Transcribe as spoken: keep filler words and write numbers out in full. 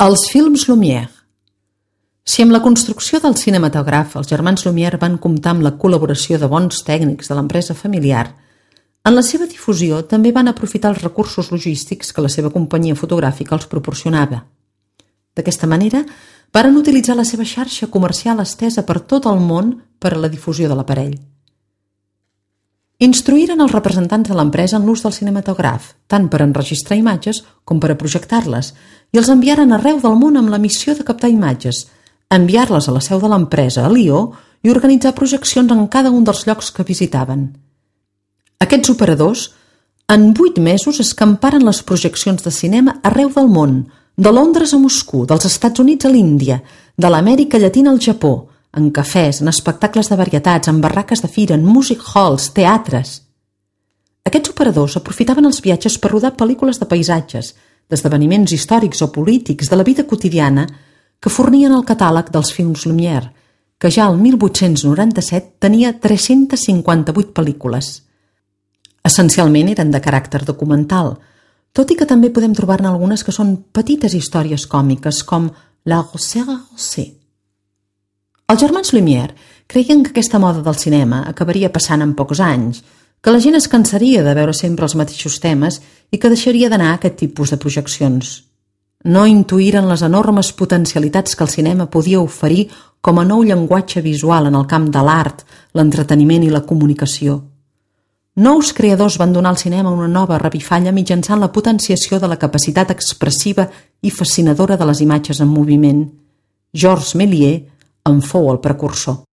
Els films Lumière. Si amb la construcció del cinematògraf els germans Lumière van comptar amb la col·laboració de bons tècnics de l'empresa familiar, en la seva difusió també van aprofitar els recursos logístics que la seva companyia fotogràfica els proporcionava. D'aquesta manera, varen utilitzar la seva xarxa comercial estesa per tot el món per a la difusió de l'aparell. Instruïren els representants de l'empresa en l'ús del cinematògraf, tant per enregistrar imatges com per a projectar-les, i els enviaren arreu del món amb la missió de captar imatges, enviar-les a la seu de l'empresa a Lió i organitzar projeccions en cada un dels llocs que visitaven. Aquests operadors, en vuit mesos, escamparen les projeccions de cinema arreu del món, de Londres a Moscou, dels Estats Units a l'Índia, de l'Amèrica Llatina al Japó, en cafès, en espectacles de varietats, en barraques de fira, en music halls, teatres. Aquests operadors aprofitaven els viatges per rodar pel·lícules de paisatges, d'esdeveniments històrics o polítics de la vida quotidiana que fornien el catàleg dels films Lumière, que ja el mil vuit-cents noranta-set tenia tres-centes cinquanta-vuit pel·lícules. Essencialment eren de caràcter documental, tot i que també podem trobar-ne algunes que són petites històries còmiques, com La Grossière Rossée. Els germans Lumière creien que aquesta moda del cinema acabaria passant en pocs anys, que la gent es cansaria de veure sempre els mateixos temes i que deixaria d'anar a aquest tipus de projeccions. No intuïren les enormes potencialitats que el cinema podia oferir com a nou llenguatge visual en el camp de l'art, l'entreteniment i la comunicació. Nous creadors van donar al cinema una nova revifalla mitjançant la potenciació de la capacitat expressiva i fascinadora de les imatges en moviment. Georges Méliès en fou el precursor.